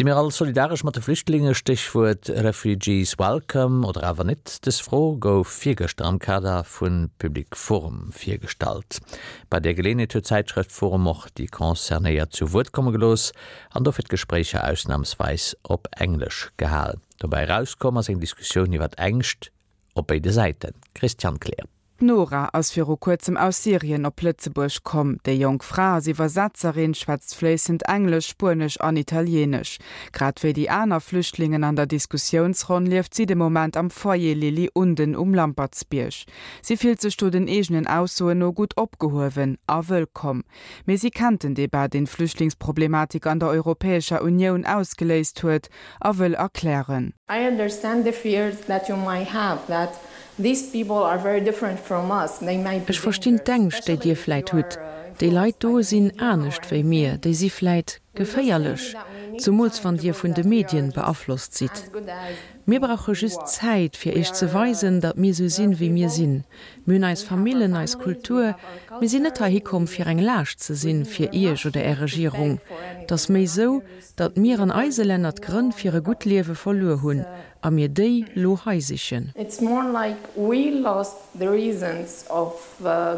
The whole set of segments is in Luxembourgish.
Si mir all solidaresch mat de Flüchtlinge, Stéchwuert Refugees Welcome, oder awer net? Dës Fro gouf virgëschter am Kader vu Public Forum virgestallt. Bei där Geleeënheet huet d'Zäitschrëft Forum och déi Concernéiert zu Wuert komme gelooss an dofir d'Gespréicher ausnamsweis op Englesch gehal. Dobäi erauskomm ass eng Diskussioun iwwert Ängscht op béide Säiten. Christiane Kleer. D'Nora ass viru kuerzem aus Syrien op Lëtzebuerg komm. Déi jonk Fra ass Iwwersetzerin, schwätzt fléissend Englesch, Spuenesch an Italieenesch. Grad wéi déi aner Flüchtlingen an der Diskussiounsronn lieft si de Moment am Foyer Lily Unden um Lampertsbierg. Si fillt sech do den eegenen Aussoen no gutt opgehuewen a wëllkomm. Mee si kennt den Debat, deen d'Flüchtlingsproblematik an der Europäescher Unioun ausgeléist huet a wëll erklären. I understand the fears that you might have that these people are very different from us, they might be Ech verstinn dangerous, d'Ängscht, déi especially Dir if vläit you hutt. are Déi Leit influenced by do the sinn media or anescht wéi mir, anything. déi si vläit We just think geféierlech, that we need zumools time wann to Dir prove vun de that we are Medien just beaflosst sidd. as good as Mir brauche you just are. Zäit, fir We Iech ze are weisen, datt mir esou we are sinn, wéi mir people, sinn. Mir hunn eis we have our Famillen, eis families, we Kultur. have our Mir sinn net culture, heihi komm, we fir eng Laascht ze we sinn didn't fir we're Iech not oder here Är to Regierung. beg for Et ass anything, méi we're not esou, here just to datt be mir a an eise burden Länner on you d'Grënn or fir your e gutt government. Liewe verluer It's hunn a mir déi lo hei sichen. It's more like we lost the reasons of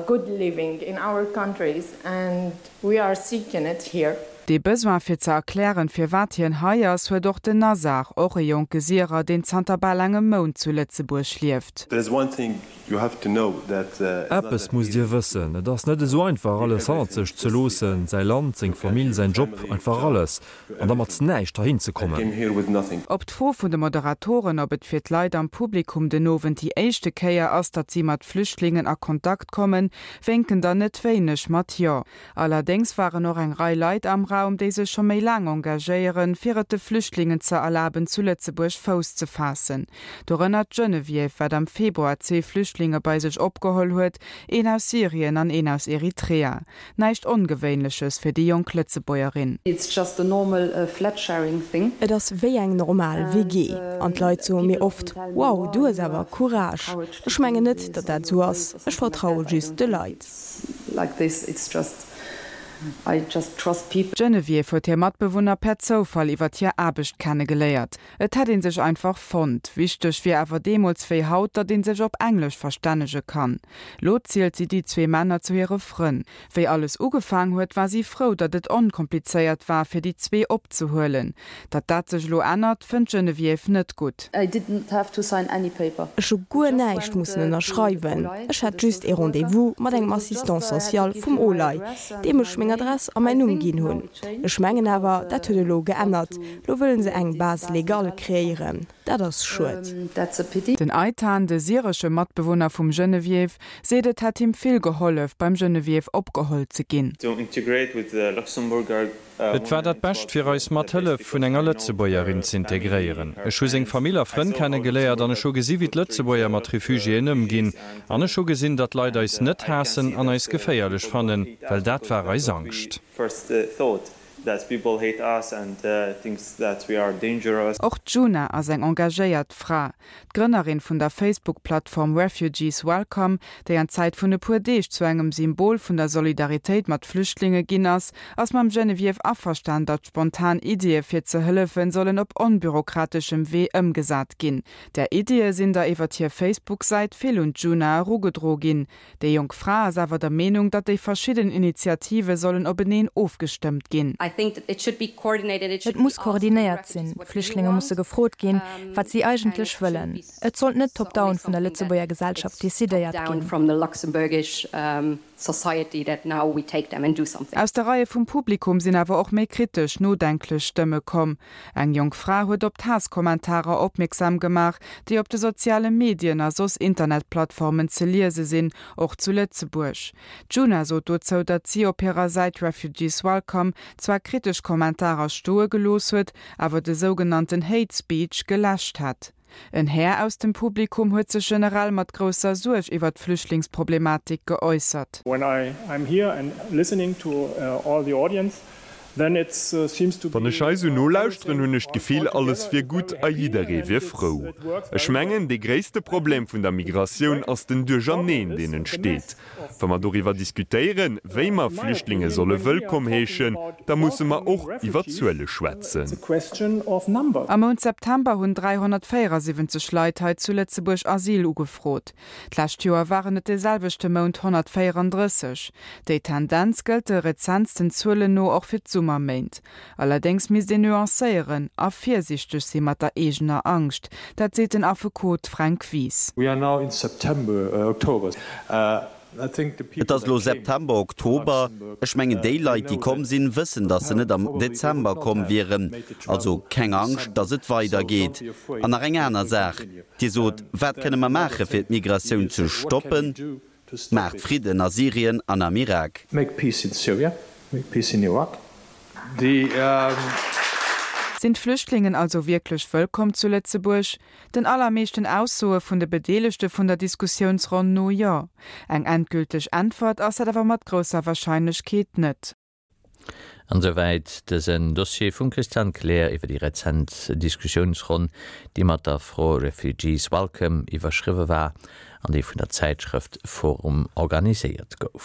good living in our countries and we are seeking it here. Dee Besoin fir ze erklären, firwat hien hei ass, huet och den Nazar, och e jonke Syrer, deen zanter bal engem Mount zu Lëtzebuerg lieft. There is one thing you have to know that it's not Eppes that musst easy Dir to wëssen, et ass net esou einfach alles hannert sech ze loossen, säi Land, seng Famill, säin Job, einfach alles, an da mat näischt heihin ze I came kommen. here with nothing. Op d'Fro vun de Moderatoren, ob et fir d'Leit am Publikum den Owend déi éischte Kéier ass, datt si mat Flüchtlingen a Kontakt kommen, wénken der net wéineg mat Jo. Allerdéngs waren och eng Rei Leit am Raum, déi sech scho méi laang engagéieren, fir et de Flüchtlingen ze erlaben, zu Lëtzebuerg Fouss ze faassen. Dorënner d'Geneviève, wat am Februar zwee Flüchtlinge bei sech opgeholl huet, een aus Syrien an een aus Eritrea. Näischt Ongewéinleches fir déi jonk Lëtzebuergerin. It's just a normal flat sharing thing. Et ass wéi eng normal WG. An d'Leit soe mir oft, Wow, du hues awer Courage. Ech mengen net, datt dat esou ass. Ech vertraue just de Leit. Like this, it's just, I just trust people. D'Geneviève huet hir Matbewunner per Zoufall iwwer hir Aarbecht kennegeléiert. Et hätt ee sech einfach fonnt. Wichteg wier awer deemools wéi haut, datt ee sech op Englesch verstännege kann. Lo zielt si déi zwee Männer zu hire Frënn. Wéi alles ugefaang huet, war si frou, datt et onkomplizéiert war, fir déi zwee opzehuelen. Datt dat sech elo ännert, fënnt d'Geneviève net gutt. I didn't have to sign any paper. Ech hu guer näischt mussen ënnerschreiwen. Ech hat just ee Rendez-vous mat engem Assistant social vum OLAI, deem ech meng Adress a mäin Numm ginn hunn. Ech mengen awer, dat huet elo geännert. Lo wëlle se eng Base légale kreéieren. Dat ass schued. That's a pity. Den Eitan, de syresche Matbewunner vum Geneviève, seet et hätt him vill gehollef, beim Geneviève opgeholl ze ginn. To integrate with the Luxembourger Et war dat Bescht fir eis mat Hëllef vun enger Lëtzebuergerin z'integréieren. Ech hu seng Famill a Frënn kennegeléiert an ech hu gesi wéi d'Lëtzebuerger mat Refugiéen ëmginn. An ech hu gesinn, datt Leit eis net haassen an eis geféierlech fannen, well dat war eis Angscht. Och d'Juna ass eng engagéiert Fra. D'Grënnerin vun der Facebook-Plattform Refugees Welcome, déi an Zäit vun e puer Deeg zu engem Symbol vun der Solidaritéit mat Flüchtlinge ginn ass, ass mam Geneviève averstan, datt spontan Iddie fir ze hëllefen sollen op onbürokrateschem Wee ëmgesat ginn. Där Iddie sinn der iwwert hir Facebook-Säit vill un d'Juna erugedro ginn. Déi jonk Fra ass awer der Meenung, datt déi verschidden Initiative sollen openeen ofgestëmmt ginn. Et muss koordinéiert sinn. D'Flüchtlinge musse gefrot ginn, wat si eigentlech wëllen. Et sollt net top-down vun der Lëtzebuerger Gesellschaft decidéiert ginn. Aus de Reie vum Publikum sinn awer och méi kritesch, nodenklech Stëmme komm. Eng jonk Fra huet op d'Haass-Kommentarer opmierksam gemaach, déi op de soziale Medien a soss Internetplattformen ze liese sinn, och zu Lëtzebuerg. D'Djuna sot dozou, datt si op hirer Säit Refugees Welcome zwar kritesch Kommentarer stoe gelooss huet, awer de sougenannten Hate Speech geläscht hätt. En Här aus dem Publikum huet sech generell mat grousser Suerg iwwer d'Flüchtlingsproblematik geäussert. When I I'm here and listening to all the audience. Wann ech hei sou nolauschteren, hunn ech d'Gefill, alles wier gutt a jidderee wier frou. Ech mengen, dee gréisste Problem vun der Migratioun ass den Duercherneen, deen entsteet. Wa mer doriwwer diskutéieren, wéi mer Flüchtlinge solle wëllkomm heeschen, da musse mer och iwwer Zuele schwätzen. Am Mount September hunn 374 Leit hei zu Lëtzebuerg Asyl ugefrot. D'lescht Joer waren et de selwechte Mount 134. Déi Tendenz gëllt de rezentsten Zuelen no och fir d'Summerméint. Allerdéngs misst een nuancéieren a virsiichteg si mat der eegener Angscht. Dat seet den Affekot Fränk Wies. Et ass elo September, Oktober. Ech mengen, déi Leit, déi komm sinn, wëssen, datt se net am Dezember komm wieren. Also keng Angscht, datt et weidergeet. An nach eng aner Saach, Dir sot, wat kënne mer maache fir d'Migratioun ze stoppen? Maacht Fridden a Syrien an am Irak. Sinn d'Flüchtlingen also wierklech wëllkomm zu Lëtzebuerg? Den allermeeschten Aussoe vun de Bedeelegte vun der Diskussiounsronn no, jo. Eng endgülteg Äntwert ass dat awer mat grousser Warscheinlechkeet net. An esouwäit dësen Dossier vum Christian Kleer iwwer déi rezent Diskussiounsronn, déi mat der Fro Refugees Welcome iwwerschriwwe war an déi vun der Zäitschrëft forum organiséiert gouf.